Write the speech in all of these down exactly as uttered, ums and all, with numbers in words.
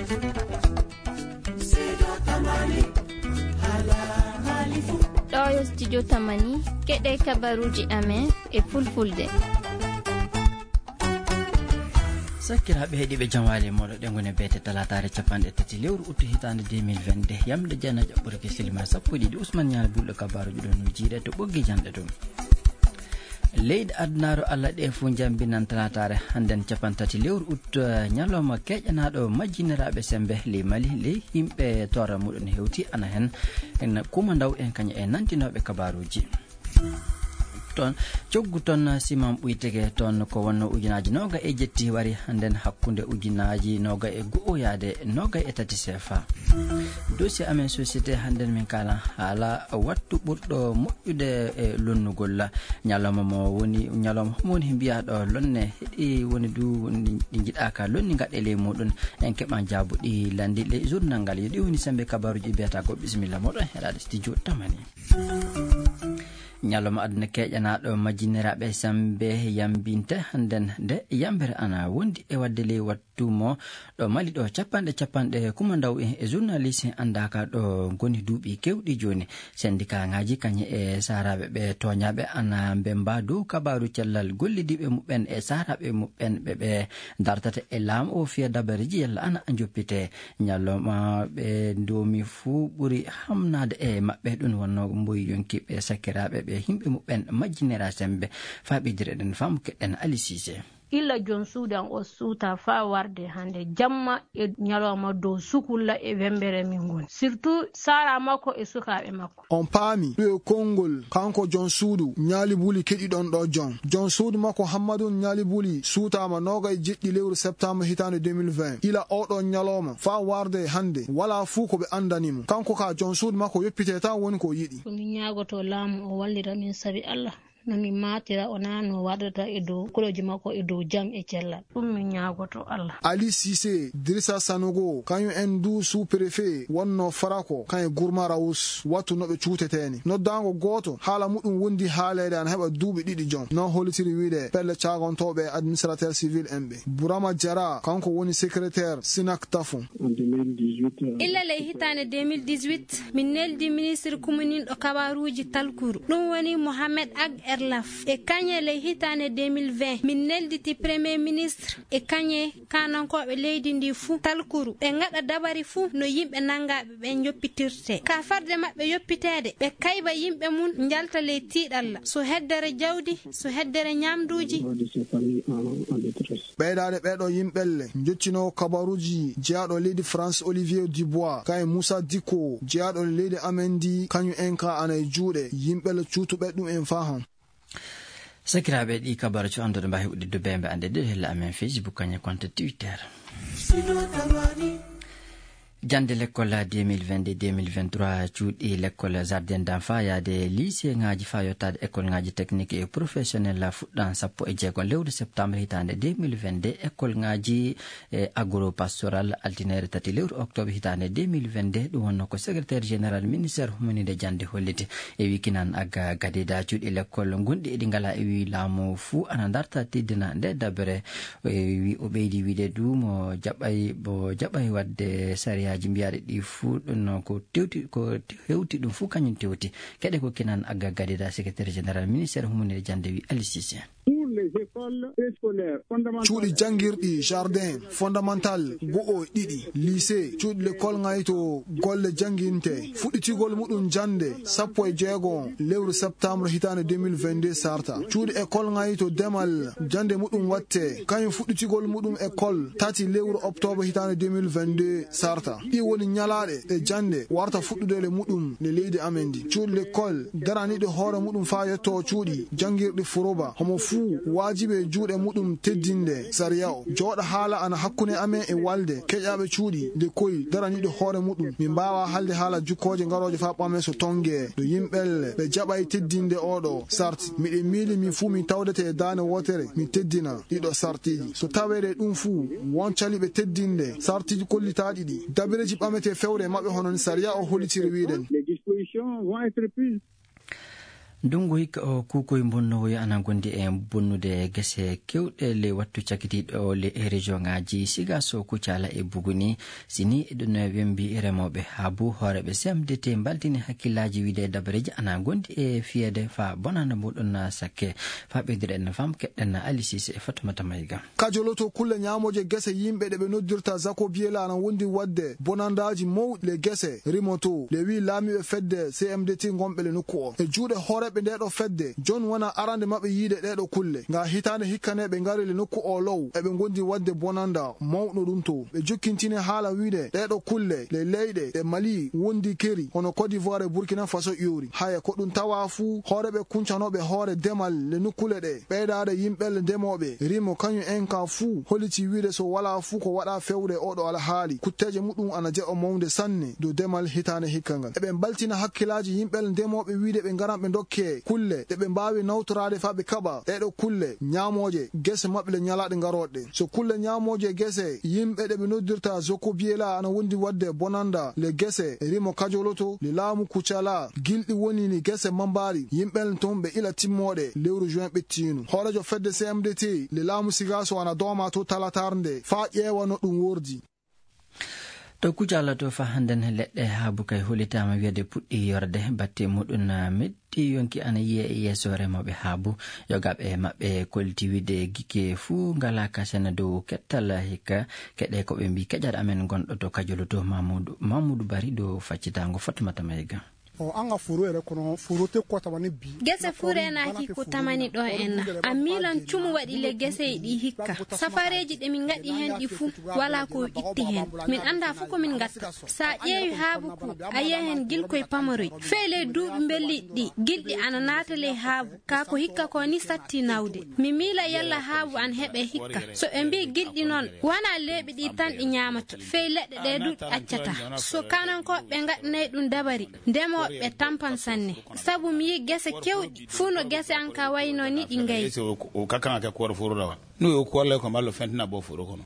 Ɗo yo studio Tamani, keɗe kabaruuji amen e fulfulde. Sakkiraaɓe heɗiiɓe, jam waali e mooɗon. Ɗe ngoni beete talaataare capanɗe tati lewru uttu hitaande deux mille vingt-deux. Yamde jana ƴaɓɓorki silma sappo e ɗiɗi. Usman Ñaali Bulɗo kabaaruuji ɗon no jiiɗe to ɓoggi janɗe ɗum. Leyɗe adunaaru Allah ɗe fuu njambinan talaataare hannden capantati lewru ut, eh, ñalawma keƴanaaɗo majjiniraaɓe semmbe ley Mali, ley yimɓe toora muɗum hewti ana heen, en Kuma Ndaw en kañum e nantinooɓe kabaaruuji. Toon, coggu toon Siman Ɓuytege, toon ko wonno ujunaaji noogay e jetti wari hannden hakkunde ujunaaji noogay e go'o yaade noogay e tati C F A. Dossier amen société hannden min kaala haala wattu ɓurɗo moƴƴude e lonnugol. Ñalawma mo woni, ñalawma homo woni he mbiyaa ɗo lonne heɗi woni du woni ɗi njiɗaaka lonni ngaɗe ley muɗum. En keɓan jaabuɗi lanndi ley journal ngal. Yo ɗi woni semmbe kabaaruuji mbiyata ko bisimilla moɗon heɗaade studio Tamani. Ñalawma aduna keƴanaaɗo majjiniraaɓe semmbe yambinte hannden nde yambere ana wondi e waɗde ley wattu mo ɗo Mali ɗo capanɗe capanɗe Kuma Ndaw e, e journaliste anndaaka ɗo ngoni duuɓi keewɗi jooni. Sendikaaŋaaji kañum e saaraaɓe ɓe tooñaaɓe ana mbemmba dow kabaaru cellal gollidiiɓe muɓɓen e saaraaɓe muɓɓen ɓe ɓe dartata e laamu o fiya dabareeji yalla ana njoppite. Ñalawma ɓe ndoomi fuu ɓuri hamnaade e maɓɓe, ɗum wonnoo mboyi yonki ɓe sakkiraaɓe ɓe yimɓe muɓɓen majjinira semmbe. Faa ɓeydire ɗen faamu keɗen Ali Siise. Illa joom suudu am o suuta faa warde hannde jamma e ñalawma dow sukulla e wemmbere min ngoni. Surtout saara makko e sukaaɓe makko. On paami ɗum e konngol kanko joom suudu Ñaali Buli keɗiɗon ɗo joom. Joom suudu makko Hammadun Ñaali Buli suutaama noogay e jeɗɗi lewru septembre hitaande deux mille vingt. Ila oo ɗoo ñalawma faa warde hannde walaa fuu ko ɓe anndani mo. Kanko ka joom suudu makko yoppitee tan woni ko o yiɗi. Ko min ñaagotoo laamu o wallira min sabi Allah. No min maatira o naa no waɗata e dow kulooji makko e dow jam e cellal. Ɗum min ñaagotoo Allah. Ali Siise, Dirisa Sanogo, kañum en du sous-préfet wonnoo Farako, kañum e Gurma Rawus, wattu no ɓe cuutetee ni. Noddaango gooto, haala muɗum wondi haaleede ana heɓa duuɓi ɗiɗi joom. No hollitiri wiyde pelle caagontooɓe e administrateur civil en ɓe. Burama Jara, kanko woni secrétaire Sinak Tafu. Illa ley hitaande deux mille dix-huit, min neldi ministre kumuninɗo kabaaruuji talkuru. Ɗum woni Mohamed Ag Erlaf. E kañe ley hitaande deux mille vingt, min nelditi premier ministre e kañe kaanankooɓe leydi ndi fuu talkuru. Ɓe ngaɗa dabari fuu no yimɓe nanngaaɓe ɓe njoppitirtee. Ka farde maɓɓe yoppiteede, ɓe kayba yimɓe mum njalta ley tiiɗalla. So heddere jawdi, so heddere ñaamduuji. Ɓeydaade ɓeeɗo yimɓelle, njottinoowo kabaruuji jeyaaɗo leydi France Olivier Dubois, kañum Moussa Dicko, jeyaaɗo leydi amen ndi, kañum en ka ana e juuɗe yimɓelle cuutuɓe ɗum en faa hon. Sakiraaɓe, ɗi kabaru cuɗanɗo ɗo mbaawi uɗɗitde bee mbe annde ɗiɗo hella amen Facebook, kañum konto Twitter. Jannde lekkol deux mille vingt-deux deux mille vingt-trois, cuuɗi lekkol jardin d'enfant yaade lycée ŋaaji faa yottaade école ŋaaji technique et professionnel fuɗɗan sappo e jeego lewru septembre hitaande deux mille vingt-deux. École ŋaaji e agro-pastoral altine tati lewru octobre hitaande deux mille vingt-deux. Ɗum wonno ko secrétaire général ministère humaninde jannde holliti. E wikinan aga gadida cuuɗi lekkol gonɗi eɗi ngala e wi laamu fuu ana darta teddina nde dabere. E wi o ɓeydi wiide du mo jaɓay, mo jaɓay waɗde sariyaaji mbiyaaɗi ɗi fuu ɗum ko tewti, ko hewti ɗum fuu kañum tewti. Keɗe ko kinan aga gadida secrétaire général ministère humaninde jannde wi Ali Cissé. Pour les écoles préscolaires fondamentales. Cuuɗi janngirɗi jardin fondamental go'o e ɗiɗi, lycée, cuuɗi lekkol ngayto golle jannginte, fuɗɗitigol muɗum jannde sappo e jeego lewru septembre hitaande deux mille vingt-deux sarta. Cuuɗi école ngayto demal jannde muɗum watte, kañum fuɗɗitigol muɗum école tati lewru octobre hitaande deux mille vingt-deux sarta. Ɗi woni ñalaaɗe ɗe jannde warta fuɗɗude le muɗum le leydi amen ndi. Cuuɗi lekkol daraniiɗe hoore muɗum faa yetto cuuɗi janngirɗi furoba. Homo fuu waajibi e juuɗe muɗum teddinde sariya o. Jooɗa haala ana hakkunde amen e walde keƴaaɓe cuuɗi nde koy daraniiɗe hoore muɗum. Min mbaawaa haalde haala jukkooje ngarooje faa ɓame so tonnge. No yimɓelle ɓe jaɓay teddinde oo ɗoo sarti. Miɗen miili min fuu min tawdete e daande wootere, min teddina ɗiɗo sartiiji. So taweede ɗum fuu, won caliiɓe teddinde sartiiji kollitaaɗi ɗi. Dabireeji ɓametee fewre e maɓɓe hono no sariya o hollitiri wiiden. Les dispositions vont être prises. Ndunngu hikka o, kuukoy mbonnowoyo ana ngondi e bonnude gese kewɗe ley wattu cakitiiɗo ley e région ŋaaji Sigaso, Kucala e Buguni. Si ni eɗen wembi remooɓe haabu, hooreeɓe C M D T mbaltini hakkillaaji wiide dabareeji ana ngondi e fiyeede faa bonanda muɗum sakke. Faa ɓeyduɗen fam keɗɗen Alisiise e Fatumata Mayga. Kajoloto kulle ñaamooje gese yimɓe ɗe ɓe noddirta Zako Biyela ana wondi waɗde bonandaaji mawɗi le gese rimoto le wi laamiiɓe fedde C M D T ngonɓe le nokku o. E juuɗe hooreeɓe nde ɗo fedde, jon wona arande maɓɓe yiide ɗe ɗo kulle. Nga hitaande hikkaneeɓe ngari le nokku o low, eɓe ngondi waɗde bonanda mawɗo ɗum to. Ɓe jokkintini haala wiide ɗe ɗo kulle le leyɗe ɗe Mali wondi keri, hono Côte d'Ivoire e Burkina Faso ƴoori. Haya ko ɗum tawa fuu, hooreeɓe kuncanooɓe hoore demal le nokkule ɗe, ɓeydaade yimɓe le ndemooɓe, rimo kañum en ka fuu, holiti wiide so walaa fuu ko waɗa fewde oɗo alhaali, kutteeje muɗum ana jeɓa mawnde sanne dow demal hitaande hikka ngal. Eɓe mbaltina hakkilaaji yimɓe le ndemooɓe wiide ɓe ngaran ɓe ndokke kulle ɗe ɓe mbaawi nawtoraade faa ɓe kaɓa ɗe ɗo kulle ñaamooje gese maɓɓe le ñalaaɗe ngarooɗe. So kulle ñaamooje gese yimɓe ɗe ɓe noddirta Zoko Biyela ana wondi waɗde bonanda le gese rimo kajoloto le laamu Kucala, gilɗi woni ni gese mambaari yimɓe le toon ɓe ila timmooɗe lewru juin ɓettiinu. Hooreejo fedde C M D T le laamu Sigaso ana dooma to talatar nde faa ƴeewa no ɗum wordi. To Kucala to faa hannden leɗɗe haabu kay holitaama wiyeede puɗɗi yorde, batte muɗum na meɗɗi yonki ana yiye e yeeso remooɓe haabu. Yogaaɓe maɓɓe kolti wiide gike fuu ngalaa kasana dow kettal hikka keɗe ko ɓe mbii keƴal amen gonɗo to Kajolo to Mamudu, Mamudu Bari dow faccitaango Fatumata Mayga. O anga furu ere kono furu te ko tamani bi. Gese fuu reenaaki ko tamani ɗo en na. A miilan cumu waɗi le gesey ɗi hikka. Safareeji ɗe min ngaɗi heen ɗi fuu, walaa ko itti heen. Min anndaa fuu ko min ngatta. So a ƴeewi haabu ko, a yiya heen gilkoy pamaroy. Fey ley duuɓi mbelliiɗi ɗi, gilɗi ana naata ley haabu. Kaa ko hikka ko ni satti nawde. Mi miila yalla haabu an heɓe hikka. So ɓe mbii gilɗi noon, wanaa leeɓi ɗi tan ɗi ñaamata. Fey leɗɗe ɗe du ɗi accataa. So kanankooɓe ɓe ngaɗanay ɗum dabari, ndemooɓe ɓe tampan sanne. Sabu mi yii gese kewɗi, fuu no gese an ka waynoo ni ɗi ngayi. Ese o, o kakkan ake kuwar furu rawa. No yo kuwar le ko mallo fentina bo furu kono.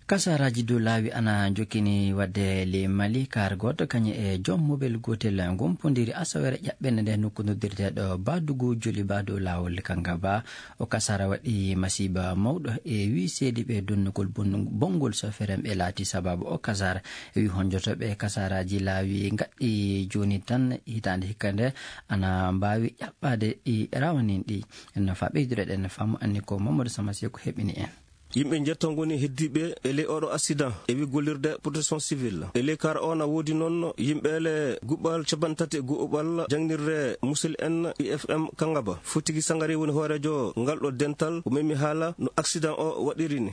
Kasaraaji dow laawi ana jokkini waɗde ley Mali, kaar gooto kañum e joom mobel gootel ngompondiri asawere ƴaɓɓende nde nokku noddirteeɗo Badugu Joliba dow laawol Kangaba. O kasara waɗi masiiba mawɗo e wi seediiɓe donnugol bon-, bonngol sofeer en ɓe laati sabaabu o kasara. E wi honjotooɓe kasaraaji laawi ngaɗɗi jooni tan hitaande hikka nde ana mbaawi ƴaɓɓaade ɗi rawanin ɗi. En faa ɓeydude ɗen faamu anni ko Mamadou Sama Seeku heɓini en. Yimɓe njetto ngoni heddiiɓe e ley oɗo accident, e wi gollirde protection civile. E ley kar o na woodi noon yimɓe le guɓɓal capanɗe tati e guɓɓal jangnirde musil en I F M Kangaba. Fotigi Sangare woni hooreejo ngal ɗo dental, o memi haala no accident o waɗiri ni.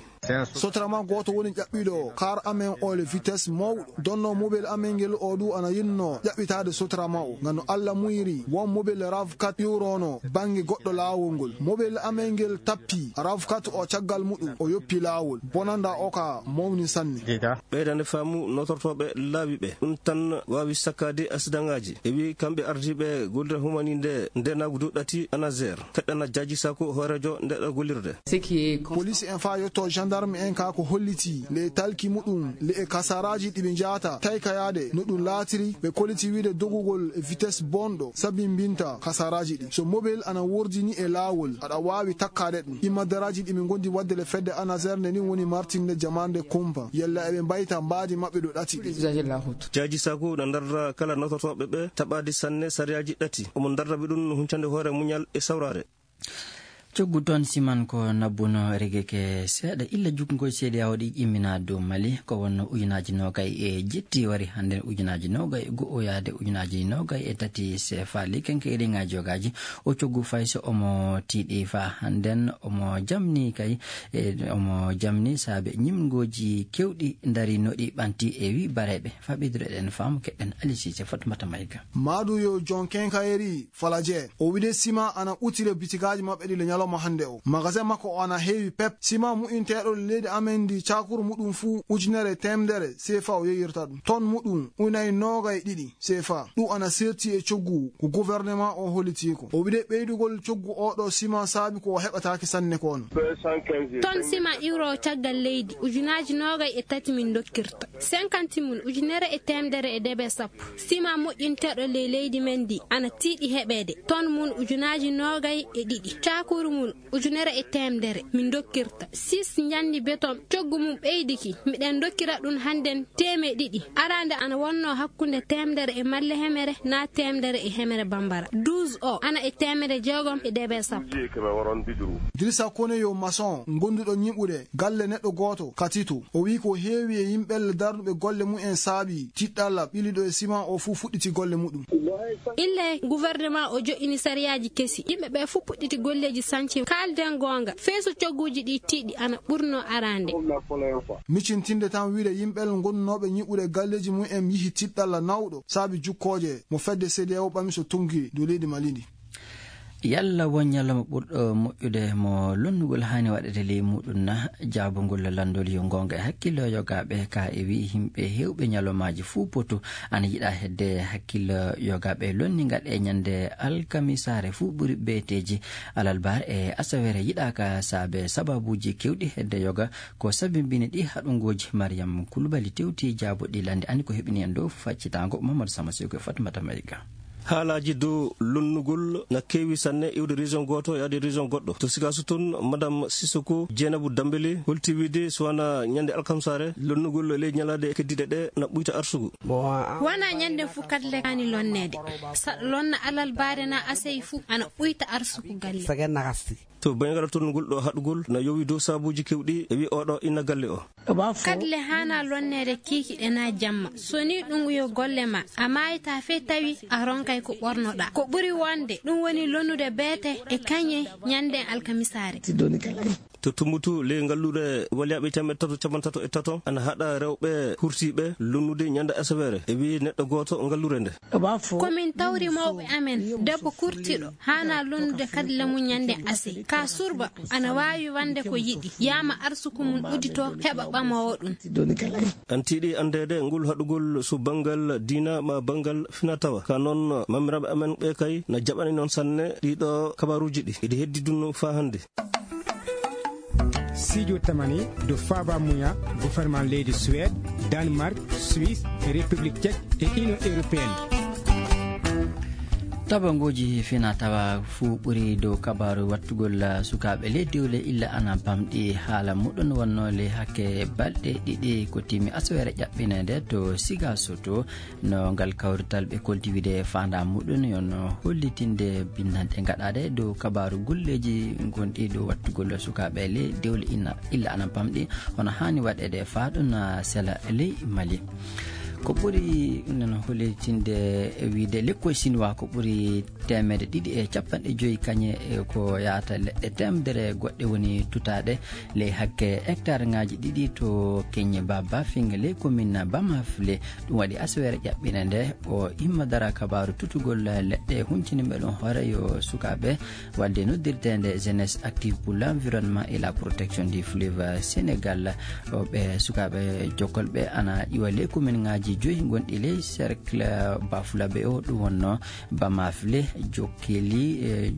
Sotrama gooto woni ƴaɓɓiiɗo kar amen o le vitesse mawɗo. Donno mobel amen ngel o du ana yinno ƴaɓɓitaade Sotrama o. Ngam no Allah muyiri, won mobel rav quatre ƴuurono bannge goɗɗo laawol ngol. Mobel amen ngel tappi rav quatre o caggal muɗum, o yoppi laawol. Bonanda o ka mawni sanne. Ɓeydande faamu notortooɓe laawi ɓe. Ɗum tan waawi sakkaade asidaŋaaji. E wi kamɓe ardiiɓe gollirde humaniinde ndeenaagu dow ɗati ANASER. Keɗɗana Jaaji Sako hooreejo nde ɗo gollirde. Police en faa yotto gendarme en ka ko holliti le talki muɗum le e kasaraaji ɗi ɓe njaata tawi ka yaade no ɗum laatiri, ɓe kolliti wiide dogugol e vitesse bonɗo sabi mbinta kasaraaji ɗi. So mobel ana wordini e laawol, aɗa waawi takkaade ɗum. Immadaraaji ɗi ɓe ngondi waɗde le fedde ANASER nde ni woni martinde jamaande kumpa. Yalla eɓe mbayta mbaadi maɓɓe ɗo ɗati ɗi. Jaaji Sako na ndarra kala nototooɓe ɓe taɓaade sanne sariyaaji ɗati. Omo ndarra ɓe ɗum no huncande hoore muñal e sawraare. Coggu toon siman ko nabbuno regeke seeɗa illa jukngol C D A O ɗi ƴimmina dow Mali, ko wonno ujunaaji noogay e jetti wari hannden ujunaaji noogay e go'o yaade ujunaaji noogay e tati C F A. Likenke e riŋaaji yogaaji o coggu fay so omo tiiɗi faa hannden omo jamni kay, e omo jamni saabe ñimngooji kewɗi ndari no ɗi ɓanti e wi bareeɓe. Faa ɓeydude ɗen faamu keɗɗen Alisiise Fatumata Mayga. Maadu yo jon kenkayeri falaje. O wiide sima ana utile bitigaaji maɓɓe ɗi le ñalawma. Mo hannde o, magasin makko o ana heewi pep. Sima mu'inteeɗo leydi amen ndi, cakuru muɗum fuu ujunere e teemedere sefa o yeeyirta ɗum. Ton muɗum unayi noogay ɗiɗi sefa. Ɗum ana seerti e coggu ko gouvernement o hollitii ko. O wiɗe ɓeydugol coggu oo ɗoo sima saabi ko o heɓataake sanne ko on. Ton sima iwroowo caggal leydi ujunaaji noogay e tati min ndokkirta. Cinquante mun ujunere e teemedere e debe sappo. Sima moƴƴinteeɗo ley leydi men ndi ana tiiɗi heɓeede ton mun ujunaaji noogay e ɗiɗi. Cakuru mun ujunere e teemedere min ndokkirta. Six njandi beton coggu mum ɓeydiki. Miɗen ndokkira ɗum hannden teemee ɗiɗi. Araande ana wonnoo hakkunde teemedere e malle hemere naa teemedere e hemere bambara. Douze o ana e teemedere jeegom e debe sappo. Dirisa Koneyo maçon gonduɗo ñiɓude galle neɗɗo gooto ka Tito. O wi'i ko heewi e yimɓelle darnuɓe golle mumen saabi tiɗɗalla ɓiliɗo e siman o fuu fuɗɗiti golle muɗum. Ille gouvernement o jo'ini sariyaaji kesi. Yimɓe ɓe fuu puɗɗiti golleeji sanci. Kaalden goonga, fey so cogguuji ɗi tiiɗi ana ɓurnoo araande. Micintinde tan wi'de yimɓel ngonnooɓe ñiɓude galleeji mumen yihi tiɗɗalla nawɗo saabi jukkooje mo fedde C D A O ɓami so tonngii dow leydi Mali ndi. Yalla won ñalawma ɓurɗo moƴƴude mo lonnugol haani waɗede ley muɗum na? Jaabungol lanndol yo goonga e hakkillo yogaaɓe ka e wi'i yimɓe heewɓe ñalawmaaji fuu potu ana yiɗa hedde hakkillo yogaaɓe lonningal e ñande alkamisaare fuu ɓuri beeteeji alalbaar e asawere yiɗaaka saabe sababuuji kewɗi hedde yoga ko sabimbini ɗi haɗungooji. Mariam Kulubali tewti jaabuɗi lannde ani ko heɓini en dow faccitaango Mamadou Sama Seyko e Fatmata Mayga. Haalaaji dow lonnugol na keewi sanne iwde région gooto yaade région goɗɗo. To Sikaaso toon, Madame Sissoko Jeynabou Dambeli holti wiide so wonaa ñande alkamsaare, lonnugol ley ñalaaɗe keddiiɗe ɗe na ɓuyta arsugo. Wonaa ñande fuu kadle kaani lonneede. Saɗa lonna alalbaare na asey fuu ana ɓuyta arsugo galle. To bayngal tonnugol ɗo haɗugol na yowi dow sabuuji kewɗi e wi oɗo inna galle o. Kadle haana lonneede kiikiɗe na jamma. So ni ɗum yo golle ma, a maayta fey tawi a ronkay ko ɓornoɗa. Ko ɓuri wonde, ɗum woni lonnude beete e kañe ñande alkamisaare. To Tumbutu, ley ngalluure walyaaɓe teemeɗɗe tato capanɗe tato e tato ana haɗa rewɓe hurtiiɓe lonnude ñande asaweere. E wi neɗɗo gooto ngalluure nde. Ko min tawri mawɓe amen, debbo kurtiɗo haana lonnude kadle mum ñande ase. Ka surba ana waawi wonde ko yiɗi, yaama arsuku mum uddito, heɓa ɓamowo ɗum. An tiiɗi anndeede ngol haɗugol so banngal diina ma banngal fina tawa. Ka noon, mamiraaɓe amen ɓe kay na jaɓani noon sanne ɗiɗo kabaruuji ɗi. Eɗi heddi dun faa hannde. Sijo tamani do faaba muya gouvernement leydi Suède, Danemark, Suisse, République Tchèque e Union Européenne. Tabangooji fina tawa fuu ɓuri dow kabaaru wattugol sukaaɓe ley dewle illa ana bamɗi. Haala muɗum wonno ley hakke balɗe ɗiɗi ko timi asawere ƴaɓɓineede to Siga Soto. No ngal kawrital ɓe kolti wiide faandaa muɗum yo no hollitinde binndanɗe gaɗaaɗe dow kabaaru golleeji gonɗi dow wattugol sukaaɓe ley dewle ina illa ana bamɗi hono haani waɗeede faa ɗum na sela ley Mali. Ko ɓuri noon hollitinde e wiide lekkoy Sinwaa ko ɓuri teemedde ɗiɗi e capanɗe joyi kañe e ko yahata leɗɗe teemedere goɗɗe woni tutaaɗe ley hakke hectare ŋaaji ɗiɗi to Keñe Baba Finga ley commune Bamafle. Ɗum waɗi asawere ƴaɓɓineede o imma dara kabaaru tutugol leɗɗe hunciniiɓe ɗum hoore yo sukaaɓe walde noddirteende Jeunesse Active pour l'Environnement et la Protection du Fleuve Sénégal. O ɓe sukaaɓe jokkolɓe ana iwa ley commune ŋaaji joyi gonɗi ley cercle Bafulabe o ɗum wonno Bamafle, Jokkeli, e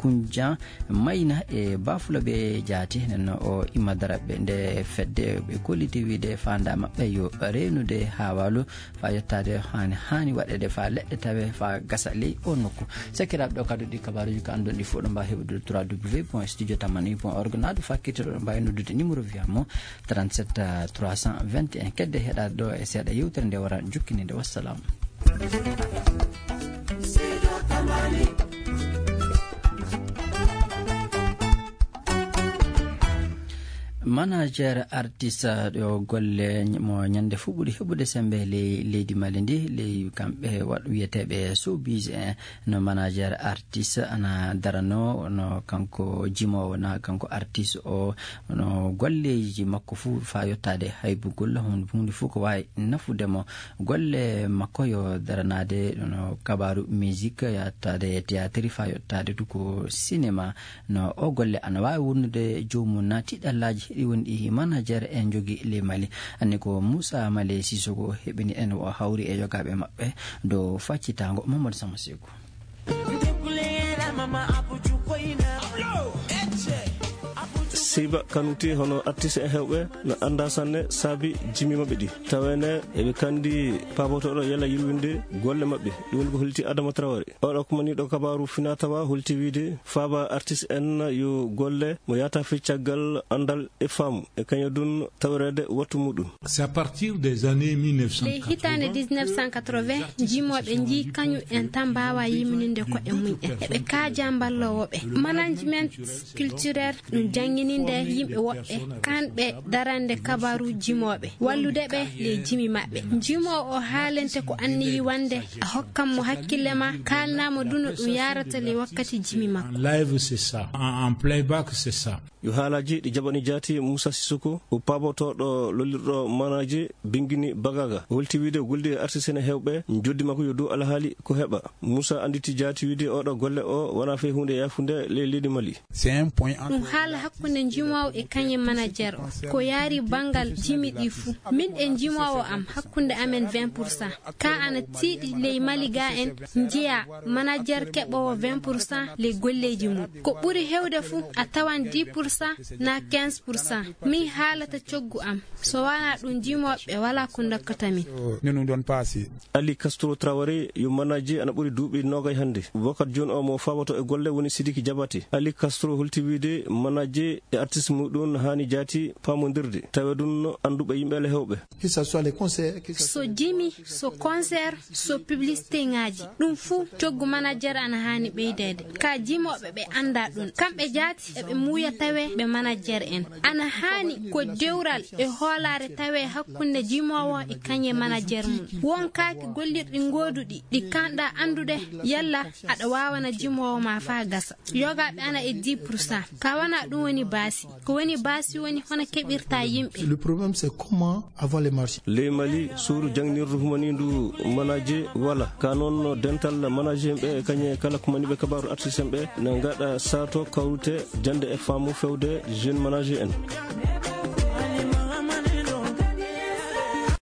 Kunjan, Mayna e Bafulabe Jaati. Nden o imma daraɓɓe nde fedde ɓe kolliti wiide faandaa maɓɓe yo reenude haawaalu faa yottaade haani, haani waɗeede faa leɗɗe tawe faa gasa ley o nokku. Sakiraaɓe ɗo kadi ɗi kabaaruuji ko anndon ɗi fof ɗo mbaawi heɓude trois W point studio tamani point org naa ɗo fakkitiro ɗo mbaawi noddude numéro wiyaa mo trente-sept trois cent vingt et un. Kedde heɗaade ɗo e seeɗa yewtere nde wara jukkiniinde. Wassalam. Manager artiste ɗo golle mo ñande fuu ɓuri heɓude sembe ley leydi Mali ndi, ley kamɓe waɗ-, wiyeteeɓe showbiz en. No manager artiste ana darano, no kanko jimoowo na kanko artiste o, no golleeji makko fuu faa yottaade haybugol, hon huunde fuu ko waawi nafude mo. Golle makko yo daranaade no kabaaru musique, yottaade théâtre faa yottaade du ko cinéma. No o golle ana waawi wonnude joomum na tiiɗallaaji heɗi wonɗi manager en njogi ley Mali. Anni ko Moussa Malé Sissoko heɓini en o hawri e yogaaɓe maɓɓe dow faccitaango Mamadou Sama Seku. Seyba Kanouté hono artiste en heewɓe no anndaa sanne saabi jimi maɓɓe ɗi. Tawene eɓe kandi paabotooɗo yalla yirwinde golle maɓɓe. Ɗum woni ko holti Adama Traoré. Oɗo ko maniiɗo kabaaru finaa tawa holti wiide faaba artiste en yo golle mo yaata fii caggal anndal e faamu e kañum ɗum tawereede wattu muɗum. C'est à partir des années mille neuf cent quatre-vingts. Ley hitaande dix-neuf cent quatre-vingts, jimooɓe njii kañum en tan mbaawa yimninde ko'e mum en. Eɓe kaaja mballoowo ɓe. Management culturel ɗum janngininde yimɓe woɓɓe, kamɓe darande kabaaru jimooɓe, wallude ɓe ley jimi maɓɓe. Jimoowo o haalente ko anniyi wande, a hokkan mo hakkille ma, kaalnaa mo du no ɗum yaarata ley wakkati jimi makko. En live, c'est ça. En, en playback, c'est ça. Yo haalaaji ɗi jaɓani jaati Moussa Sissoko, o paabotooɗo lollirɗo manaaji bingini bagaga. Holti wiide o goldi e artiste en heewɓe, njoddi makko yo dow alhaali ko heɓa. Moussa annditi jaati wiide oɗo golle o wonaa fii huunde yaafunde ley leydi Mali. C'est un point entre. Ɗum haala hakkunde njimoowo e kañum manager o. Ko yaari banngal jimi ɗi fuu. Min e njimoowo am hakkunde amen vingt pour cent. Ka ana tiiɗi ley Mali ga en njiya manager keɓoowo vingt pour cent ley golleeji mum. Ko ɓuri heewde fuu a tawan dix pour cent na quinze pour cent. Min haalata coggu am. So wanaa ɗum jimooɓe walaa ko ndokkata min. Ne ɗum ɗon paasi. Ali Castro Traoré yo manager ana ɓuri duuɓi noogay hannde. Wakkati jooni o mo faaboto e golle woni Sidiki Diabaté. Ali Castro holti wiide manager e artiste muɗum haani jaati paamondirde. Tawa ɗum no annduɓe yimɓe le heewɓe. Que ce soit les concerts, que ce soit. So jimi, so concert, so publicité ŋaaji, ɗum fuu coggu manager ana haani ɓeydeede. Ka jimooɓe ɓe annda ɗum. Kamɓe jaati eɓe muuya tawe ɓe manager en. Ana haani ko dewral e hoolaare tawe hakkunde jimoowo e kañe manager mum. Won kaaki gollirɗi gooduɗi ɗi kanɗa anndude yalla aɗa waawana jimoowo ma faa gasa. Yogaaɓe ana e dix pour cent. Ka wana ɗum woni baasi. Ko woni baasi woni hono keɓirta yimɓe. Le problème, c'est comment avoir les marchés. Ley Mali, suuru jangnirdu humaniindu manager wala. Ka noon no dental manager ɓe e kañe kala ko maniɓe kabaaru artiste en ɓe na ngaɗa saato kawrute jannde e faamu fewde jeune manager en.